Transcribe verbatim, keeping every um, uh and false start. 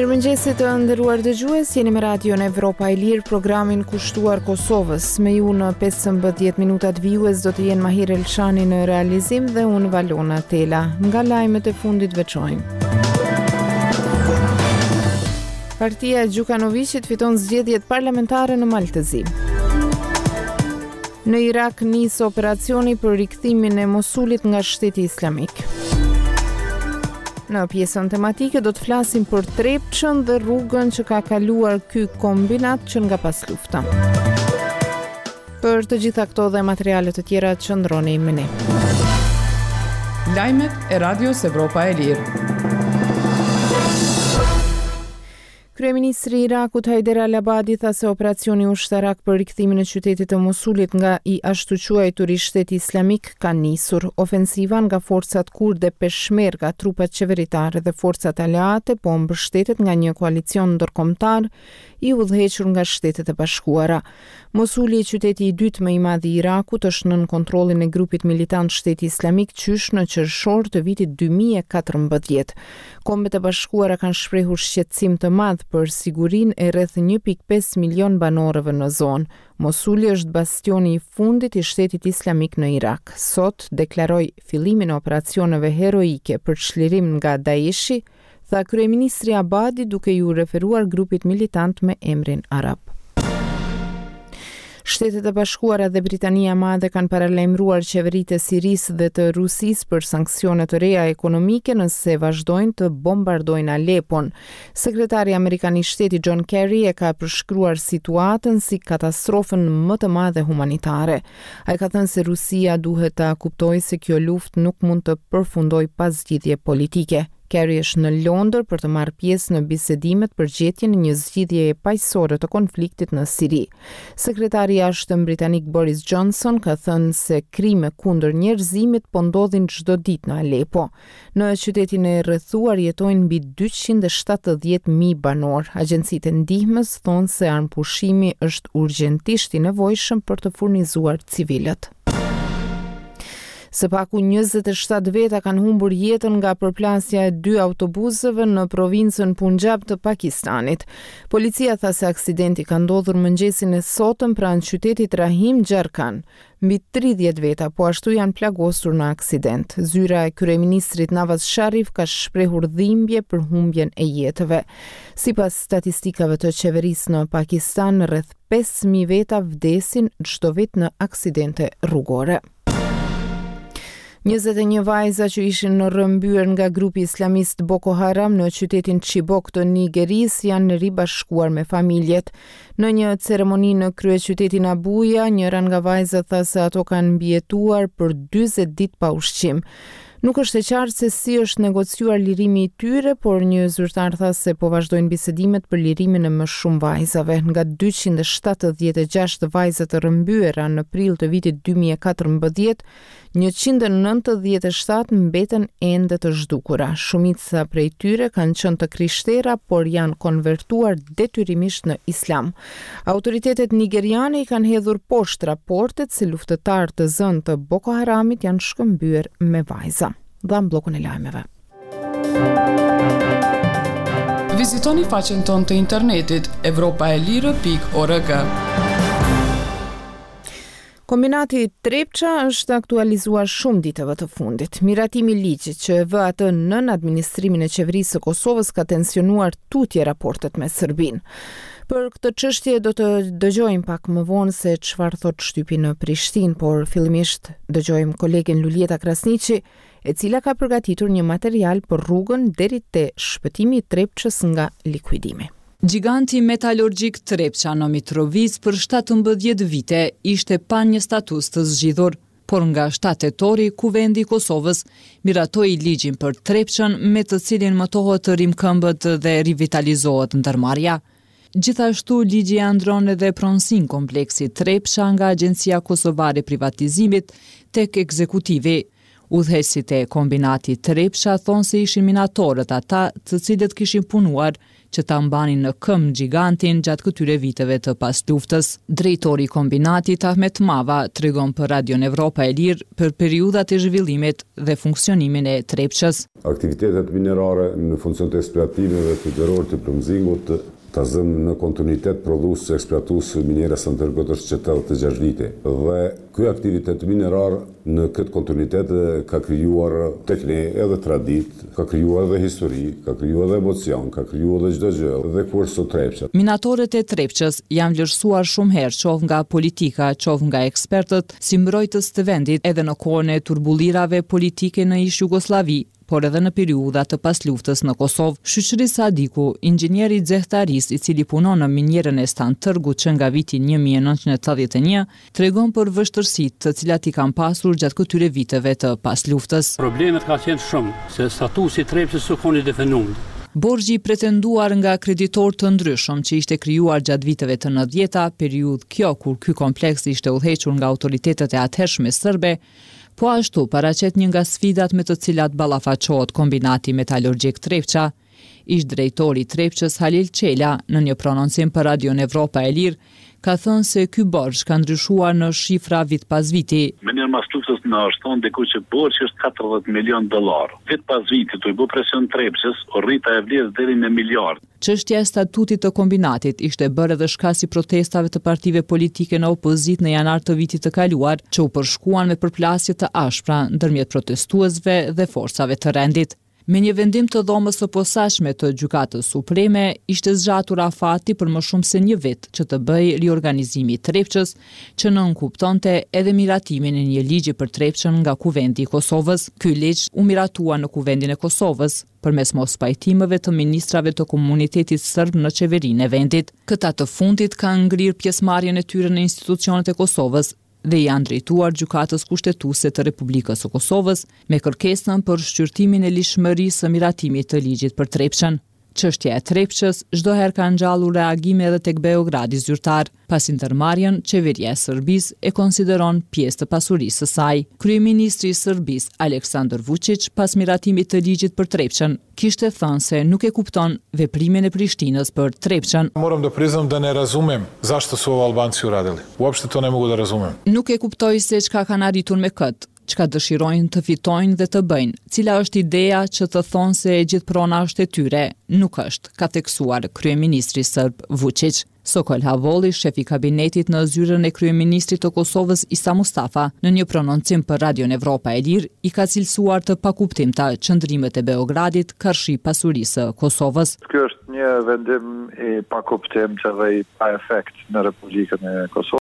Mirëmëngjesi të nderuar dëgjues, jeni me Radion Evropa e Lirë, programin kushtuar Kosovës. Me ju në pesëmbëdhjetë minutat vijues do të jenë Mahir Elshani në realizim dhe unë Valona Tela. Nga lajmet e fundit veçojmë. Partia e Gjukanoviqit fiton zgjedhjet parlamentare në Mal të Zi. Në Irak nis operacioni për rikthimin e Mosulit nga shteti islamik. Në pjesën tematike do të flasim për Trepçën dhe rrugën që ka kaluar ky kombinat që nga paslufta. Për të gjitha këto dhe materiale të tjera qëndroni me ne. Lajmet e Radios Evropa e Lirë. Kryeministri i Irakut Haider al-Abadi tha se operacioni ushtarak për rikthimin e qytetit të Mosulit nga i ashtuquajturi shteti islamik ka nisur. Ofensiva nga forcat kurde Peshmerga, trupat qeveritare dhe forcat aleate po mbështetet nga një koalicion ndërkombëtar i udhëhequr nga Shtetet e Bashkuara. Mosuli, qyteti i dytë më i madh i Irakut, është nën kontrollin e grupit militant Shteti Islamik qysh në qershor të vitit dy mijë e katërmbëdhjetë. Kombet e Bashkuara kanë shprehur shqetësim të madh për sigurinë e rreth një pikë pesë milion banorëve në zonë. Mosuli është bastioni i fundit i Shtetit Islamik në Irak. Sot deklaroi fillimin e operacioneve heroike për çlirim nga Daeshi, tha kryeministri Abadi duke iu referuar grupit militant me emrin arab. Shtetet e Bashkuara dhe Britania e Madhe kanë paralajmëruar qeveritë e Sirisë dhe të Rusisë për sanksione të reja ekonomike nëse vazhdojnë të bombardojnë Alepon. Sekretari amerikan i shtetit John Kerry e ka përshkruar situatën si katastrofën më të madhe humanitare. Ai ka thënë se Rusia duhet ta kuptojë se kjo luftë nuk mund të përfundojë pa zgjidhje politike. Kerry është në Londër për të marrë pjesë në bisedimet për gjetjen e një zgjidhjeje paqësore të konfliktit në Siri. Sekretari i jashtëm britanik Boris Johnson ka thënë se krime kundër njerëzimit po ndodhin çdo ditë në Aleppo. Në qytetin e rrethuar jetojnë mbi dyqind e shtatëdhjetë mijë banorë. Agjencitë e ndihmës thonë se armëpushimi është urgjentisht i nevojshëm për të furnizuar civilët. Së paku njëzet e shtatë veta kanë humbur jetën nga përplasja e dy autobusëve në provincën Punjab të Pakistanit. Policia tha se aksidenti ka ndodhur mëngjesin e sotëm pranë qytetit Rahim Gjarkan. Mbi tridhjetë veta po ashtu janë plagosur në aksident. Zyra e kryeministrit Nawaz Sharif ka shprehur dhimbje për humbjen e jetëve. Sipas statistikave të qeverisë në Pakistan, rreth pesë mijë veta vdesin çdo vit në aksidente rrugore. Njëzet e një vajza që ishin rrëmbyer nga grupi islamist Boko Haram në qytetin Chibok të Nigerisë janë ribashkuar me familjet. Në një ceremoni në kryeqytetin Abuja, njëra nga vajzat tha se ato kanë mbijetuar për dyzet ditë pa ushqim. Nuk është e qartë se si është negociuar lirimi i tyre, por një zyrtar tha se po vazhdojnë bisedimet për lirimin e më shumë vajzave. Nga dyqind e shtatëdhjetë e gjashtë vajza të rrëmbyera në prill të vitit dy mijë e katërmbëdhjetë, njëqind e nëntëdhjetë e shtatë mbeten ende të zhdukura. Shumica prej tyre kanë qenë të krishtera, por janë konvertuar detyrimisht në islam. Autoritetet nigeriane i kanë hedhur poshtë raportet se luftëtarë të zënë të Boko Haramit janë shkëmbyer me vajza. Dham bllokun e lajmeve. Vizitoni faqen tonë të internetit evropa e lirë pikë org. Kombinati Trepça është aktualizuar shumë ditëve të fundit. Miratimi i ligjit që e vë atë nën administrimin e qeverisë së Kosovës ka tensionuar tutje raportet me Serbinë. Për këtë çështje do të dëgjojmë pak më vonë se çfarë thot shtypi në Prishtinë, por fillimisht dëgjojmë kolegen Luljeta Krasniqi, e cila ka përgatitur një material për rrugën deri te shpëtimi i Trepçës nga likuidimi. Giganti metalurgjik Trepça në Mitrovicë për shtatëmbëdhjetë vite ishte pa një status të zgjidhur, por nga shtatë tetori Kuvendi i Kosovës miratoi ligjin për Trepçën me të cilin mëtohet të rimkëmbët dhe rivitalizohet ndërmarrja. Gjithashtu, ligji e ndron edhe pronësinë kompleksit Trepça nga Agjencia Kosovare e Privatizimit tek ekzekutivi. Udhëheqësit e kombinatit Trepça thonë se ishin minatorët ata të cilët kishin punuar që ta mbanin në këmbë gjigantin gjatë këtyre viteve të pasluftës. Drejtori i kombinatit Ahmet Mava tregon për Radion Evropa e Lirë për periudhat e zhvillimit dhe funksionimin e Trepçës. Aktivitetet minerare në funksion të eksploatimeve të gjerorit të plumb-zingut, ta zëmë në kontinuitet prodhues eksploatues miniera e Stan-Tërgut është që tetëdhjetë e gjashtë vite. Dhe ky aktivitet minerar në këtë kontinuitet ka krijuar tek ne edhe traditë, ka krijuar edhe histori, ka krijuar edhe emocion, ka krijuar edhe çdo gjë, dhe ku është sot Trepça. Minatorët e Trepçës janë vlerësuar shumë herë, qoftë nga politika, qoftë nga ekspertët, si mbrojtës të vendit edhe në kohën e turbullirave politike në ish Jugosllavi, por edhe në periudha të pasluftës në Kosovë. Shyqri Sadiku, inxhinier i xehtarisë i cili punon në minierën e Stan-Tërgut që nga viti një mijë e nëntëqind e tetëdhjetë e një, tregon për vështirësitë të cilat i kanë pasur gjatë këtyre viteve të pasluftës. Problemet ka qenë shumë, se statusi i Trepçës s'u kon i definuar. Borxhi i pretenduar nga kreditor të ndryshëm që ishte krijuar gjatë viteve të nëntëdhjeta, periudhë kjo kur ky kompleks ishte udhëhequr nga autoritetet e atëhershme serbe, po ashtu paraqet një nga sfidat me të cilat ballafaqohet kombinati metalurgjik Trepça. Ish drejtori i Trepçës Halil Çela në një prononcim për Radion Evropa e Lirë ka thënë se ky borxh ka ndryshuar në shifra vit pas viti. Me një mas luftës në është thonë diku që borxhi është katërdhjetë milion dollar. Vit pas viti, tu i bë presion Trepçës, u rrit ajo vlerë deri në miliard. Çështja e statutit të kombinatit ishte bërë edhe shkas i protestave të partive politike në opozitë në janar të vitit të kaluar, që u përshkuan me përplasje të ashpra ndërmjet protestuesve dhe forcave të rendit. Me një vendim të dhomës së posaçme të Gjykatës Supreme, ishte zgjatur afati për më shumë se një vit që të bëjë riorganizimi i Trepçës, që nënkuptonte edhe miratimin e një ligji për Trepçën nga Kuvendi i Kosovës. Ky ligj u miratua në Kuvendin e Kosovës përmes mospajtimeve të ministrave të komunitetit serb në qeverinë e vendit. Këta të fundit kanë ngrirë pjesëmarrjen e tyre në institucionet e Kosovës dhe janë drejtuar Gjykatës Kushtetuese të Republikës së Kosovës me kërkesën për shqyrtimin e ligjshmërisë së miratimit të ligjit për Trepçën. Çështja e Trepçës çdo herë ka ngjallur reagime edhe tek Beogradi zyrtar, pasi ndërmarrjen qeveria e Serbisë e konsideron pjesë të pasurisë së saj. Kryeministri i Serbisë, Aleksandar Vučić, pas miratimit të ligjit për Trepçën, kishte thënë se nuk e kupton veprimin e Prishtinës për Trepçën. Moram da priznam da ne razumem zašto su ovo Albanci uradili. Uopšte to ne mogu da razumem. Nuk e kuptoj se çka kanë arritur me këtë, çka dëshirojnë të fitojnë dhe të bëjnë, cila është ideja që të thonë se e gjithë prona është e tyre, nuk është, ka theksuar kryeministri serb Vučić. Sokol Havolli, shefi i kabinetit në zyrën e kryeministrit të Kosovës Isa Mustafa, në një prononcim për Radion Evropa e Lirë, i ka cilësuar të pakuptimta qëndrimet e Beogradit karshi pasurisë së Kosovës. Ky është një vendim i pakuptimtë dhe i pa efekt në Republikën e Kosovës.